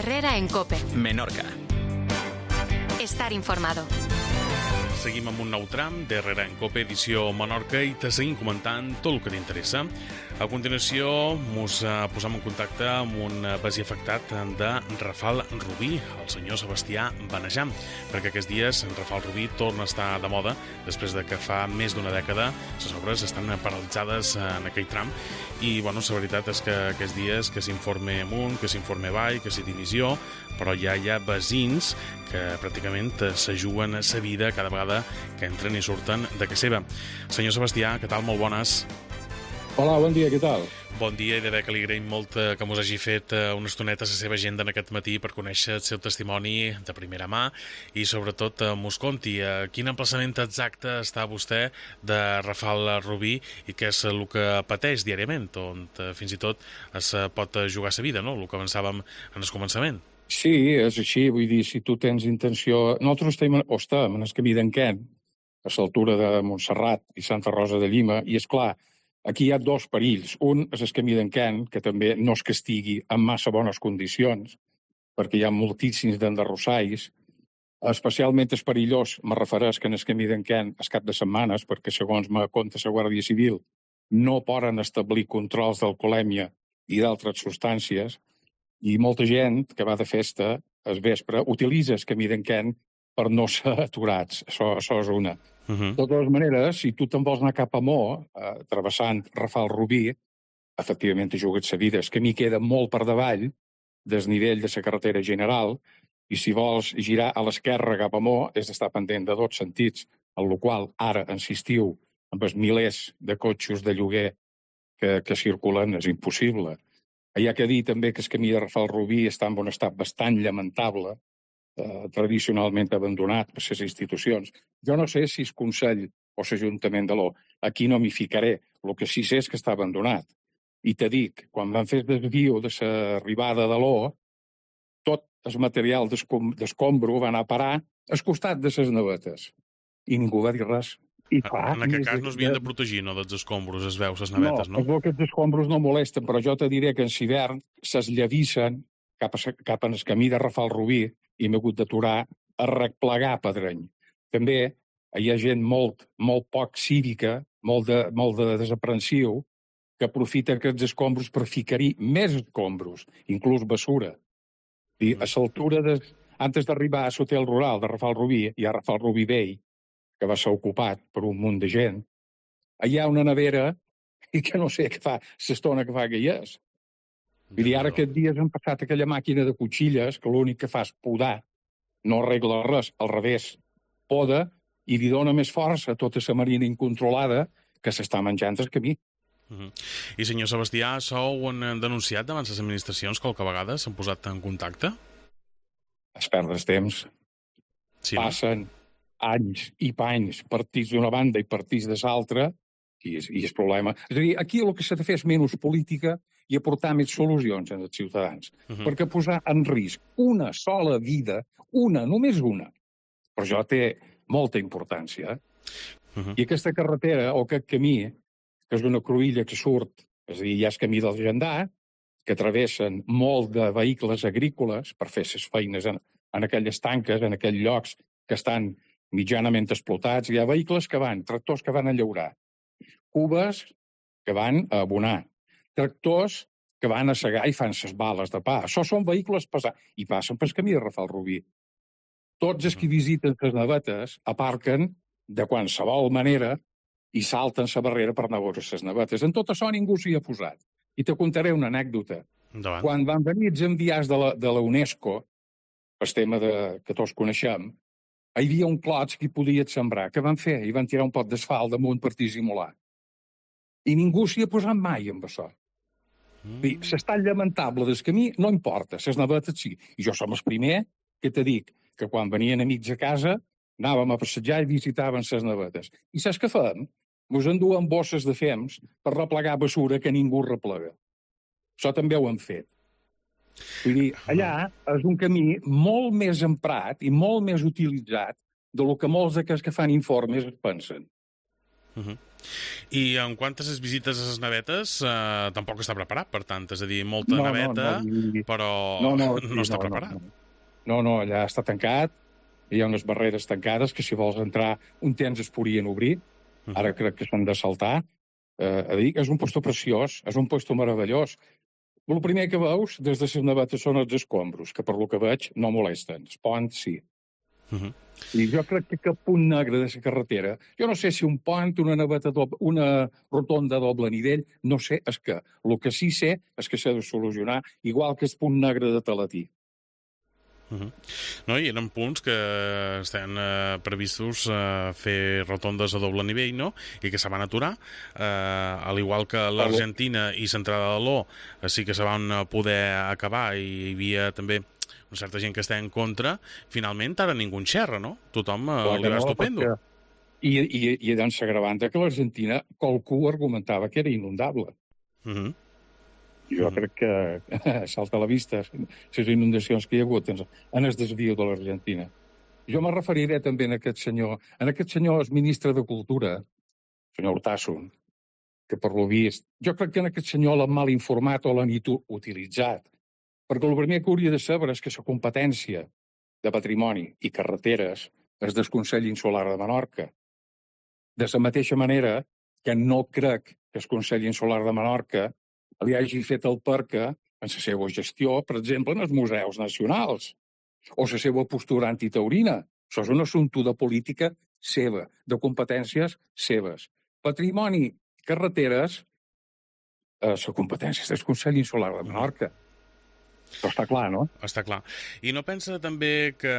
Herrera en COPE. Menorca. Estar informado. Seguim amb un nou tram d'Herrera en COPE, edició Menorca, i te seguim comentant tot el que t'interessa. A continuació, ens posam en contacte amb un veí afectat de Rafal Rubí, el senyor Sebastià Benejà, perquè aquests dies Rafal Rubí torna a estar de moda després de que fa més d'una dècada les obres estan paralitzades en aquell tram i, la veritat és que aquests dies que s'informe amunt, que s'informe avall, que s'hi divisió, però ja hi ha veïns que pràcticament se juguen sa vida cada vegada que entren i surten de casa seva. Senyor Sebastià, què tal? Molt bones. Hola, bon dia, què tal? Bon dia, i de bé que li agraïm molt que mos hagi fet una estoneta a la seva agenda en aquest matí per conèixer el seu testimoni de primera mà i sobretot mos conti quin emplaçament exacte està vostè de Rafal Rubí i què és el que pateix diàriament, on fins i tot es pot jugar sa vida, no? El que avançàvem en el començament. Sí, és així, vull dir, si tu tens intenció... Nosaltres estem en el camí d'Enquent, a l'altura de Montserrat i Santa Rosa de Llima, i és clar, aquí hi ha dos perills. Un és el camí d'Enquent, que també no és que estigui en massa bones condicions, perquè hi ha moltíssims d'enderrossais. Especialment és perillós, me refereix que en el camí d'Enquent es cap de setmanes, perquè segons me conta la Guàrdia Civil, no poden establir controls d'alcoholèmia i d'altres substàncies, i molta gent que va de festa al vespre utilitza el camí d'Enquent per no ser aturats. Això és una. De totes maneres, si tu te'n vols anar cap a Mo, travessant Rafal Rubí, efectivament te jugues sa vida. El camí queda molt per davall del nivell de la carretera general i si vols girar a l'esquerra cap a Mo és d'estar pendent de dos sentits, en el qual ara, en l'estiu, amb els milers de cotxes de lloguer que circulen, és impossible. Hi ha que dir també que el camí de Rafal Rubí està en un estat bastant lamentable, tradicionalment abandonat per les institucions. Jo no sé si el Consell o l'Ajuntament de l'O, aquí no m'hi ficaré, el que sí sé és que està abandonat. I te dic, quan van fer el desvio de l'arribada de l'O, tot el material d'escombro va anar a parar al costat de les navetes. I ningú va dir res. En aquest cas no es havien de protegir, no, dels escombros, es veu, les navetes, no? No, aquests escombros no molesten, però jo te diré que en l'hivern ses llavissen cap en el camí de Rafal Rubí i m'he hagut d'aturar a replegar pedreny. També hi ha gent molt poc cívica, molt de desaprensiu, que aprofita aquests escombros per ficar-hi més escombros, inclús basura. I a l'altura, antes d'arribar a l'hotel rural de Rafal Rubí, hi ha Rafal Rubí Vell, que va ser ocupat per un munt de gent, hi ha una nevera i que no sé què fa, l'estona que fa que hi és. Vull dir, ara aquests dies han passat aquella màquina de cotxilles que l'únic que fa és podar, no arregla res, al revés, poda i li dona més força a tota la marina incontrolada que s'està menjant el camí. I senyor Sebastià, això ho han denunciat davant les administracions qualque vegada? S'han posat en contacte? Es perd el temps. Sí, passen anys i panys, partits d'una banda i partits de l'altra, i és problema. És a dir, aquí el que s'ha de fer és menys política i aportar més solucions als ciutadans. Perquè posar en risc una sola vida, només una, però això té molta importància. I aquesta carretera, o aquest camí, que és una cruïlla que surt, és a dir, hi ha el camí del Gendar, que travessen molt de vehicles agrícoles per fer les feines en aquelles tanques, en aquells llocs que estan mitjanament explotats. Hi ha vehicles que van, tractors que van a llaurar, cubes que van a abonar, tractors que van a segar i fan ses bales de pa. Això són vehicles pesats i passen pel camí de Rafal Rubí. Tots els que visiten les navetes aparquen de qualsevol manera i salten la barrera per anar a veure les navetes. En tot això ningú s'hi ha posat. I te contaré una anècdota. Quan van venir els enviats de la UNESCO, el tema que tots coneixem, hi havia un clots que hi podia sembrar. Què van fer? Hi van tirar un pot d'asfalt damunt per dissimular. I ningú s'hi ha posat mai amb això. L'estat lamentable del camí no importa, les navetes sí. I jo som el primer que te dic que quan venien amics a casa anàvem a passejar i visitaven les navetes. I saps què fem? Ens enduen bosses de fems per replegar basura que ningú replega. Això també ho han fet. Vull dir, allà és un camí molt més emprat i molt més utilitzat del que molts d'aquests que fan informes pensen. I en quantes les visites a les navetes tampoc està preparat, per tant, és a dir, molta naveta, però no està preparat. No, allà està tancat, hi ha unes barreres tancades que si vols entrar un temps es podrien obrir, ara crec que s'han de saltar. És un lloc preciós, és un lloc meravellós. El primer que veus des de les navetes són els escombros, que per lo que veig no molesten. Els ponts sí. I jo crec que cap punt negre de la carretera, jo no sé si un pont, una naveta una rotonda doble nivell, no sé, és que el que sí sé és que s'ha de solucionar, igual que el punt negre de Talatí. No, i eren punts que estan previstos fer rotondes a doble nivell, no? I que se van aturar, al igual que l'Argentina i l'entrada de l'O sí que se van poder acabar i hi havia també una certa gent que està en contra. Finalment ara ningú en xerra, no? Tothom li va estupendo. I doncs s'agravanta que l'Argentina qualcú argumentava que era inundable. Jo crec que salta a la vista les inundacions que hi ha hagut en el desvio de l'Argentina. Jo me referiré també a aquest senyor és ministre de Cultura, senyor Urtasun, que per lo vist, jo crec que en aquest senyor l'han mal informat o l'han utilitzat, perquè el primer que hauria de saber és que la competència de patrimoni i carreteres és del Consell Insular de Menorca. De la mateixa manera que no crec que el Consell Insular de Menorca li hagi fet el perca en la seva gestió, per exemple, en els museus nacionals, o la seva postura antitaurina. Això és un assumpte de política seva, de competències seves. Patrimoni, carreteres, la competència del Consell Insular de Menorca. Però està clar, no? Està clar. I no pensa també que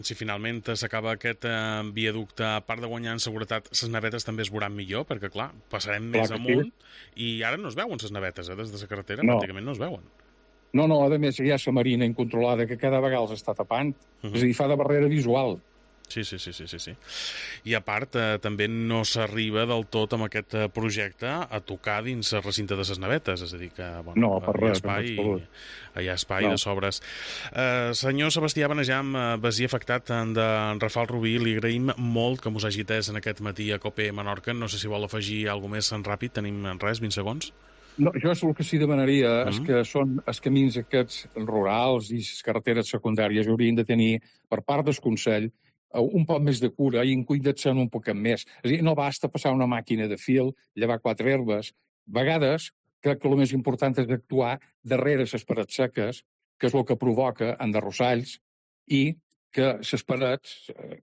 si finalment s'acaba aquest viaducte, a part de guanyar en seguretat, les navetes també es veuran millor? Perquè, clar, passarem més amunt i ara no es veuen les navetes, des de la carretera pràcticament no es veuen. No, a més hi ha la marina incontrolada que cada vegada els està tapant. És a dir, fa de barrera visual. Sí. I a part, també no s'arriba del tot amb aquest projecte a tocar dins el recinte de les navetes, és a dir que no, per res, hi ha espai de sobres. Senyor Sebastià Benejam, basier afectat d'en Rafal Rubí, li agraïm molt que mos hagi atès en aquest matí a COPE Menorca. No sé si vol afegir alguna més en ràpid, tenim res, 20 segons. No, jo el que sí demanaria és que són els camins aquests rurals i les carreteres secundàries haurien de tenir, per part del Consell, un poc més de cura i en cuidar-se'n un poc més. És a dir, no basta passar una màquina de fil, llevar 4 herbes. A vegades, crec que el més important és actuar darrere les parets seques, que és el que provoca enderrossalls, i que les parets,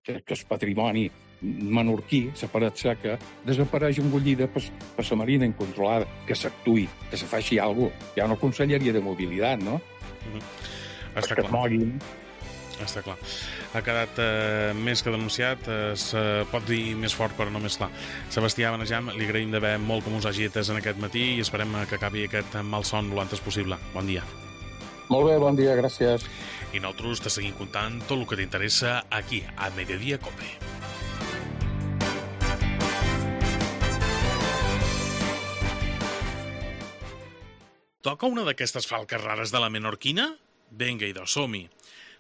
que el patrimoni menorquí, la paret seca, desapareix engollida per la marina incontrolada, que s'actuï, que se faci alguna cosa. Hi ha una conselleria de mobilitat, no? Està clar. Que es moguin. Està clar. Ha quedat més que denunciat, es pot dir més fort però no més clar. Sebastià Benejam, li agraïm d'haver molt que mos hagi atès en aquest matí i esperem que acabi aquest malson lo antes possible. Bon dia. Molt bé, bon dia, gràcies. I nosaltres te seguim contant tot el que t'interessa aquí, a Mediodía Cope. Toca una d'aquestes falques rares de la menorquina? Vinga, idò, som-hi.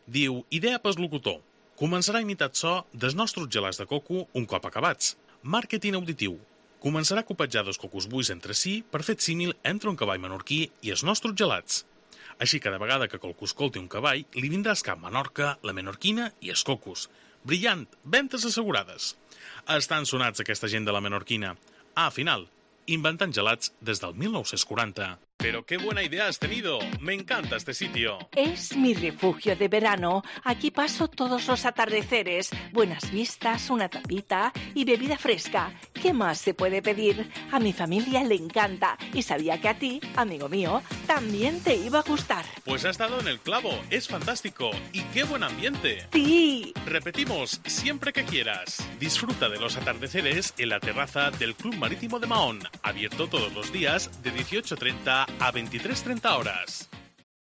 Diu, idea pel locutor. Començarà a imitar so dels nostres gelats de coco un cop acabats. Màrqueting auditiu. Començarà a copejar dos cocos buis entre si per fer símil entre un cavall menorquí i els nostres gelats. Així cada vegada que qualcú escolti un cavall, li vindrà al cap Menorca, la menorquina i els cocos. Brillant, ventes assegurades. Estan sonats aquesta gent de la menorquina. Final, inventant gelats des del 1940. Pero qué buena idea has tenido. Me encanta este sitio. Es mi refugio de verano. Aquí paso todos los atardeceres. Buenas vistas, una tapita y bebida fresca. ¿Qué más se puede pedir? A mi familia le encanta y sabía que a ti, amigo mío, también te iba a gustar. Pues has dado en el clavo. Es fantástico. Y qué buen ambiente. Sí. Repetimos, siempre que quieras. Disfruta de los atardeceres en la terraza del Club Marítimo de Mahón. Abierto todos los días de 18:30 a 23:30 horas.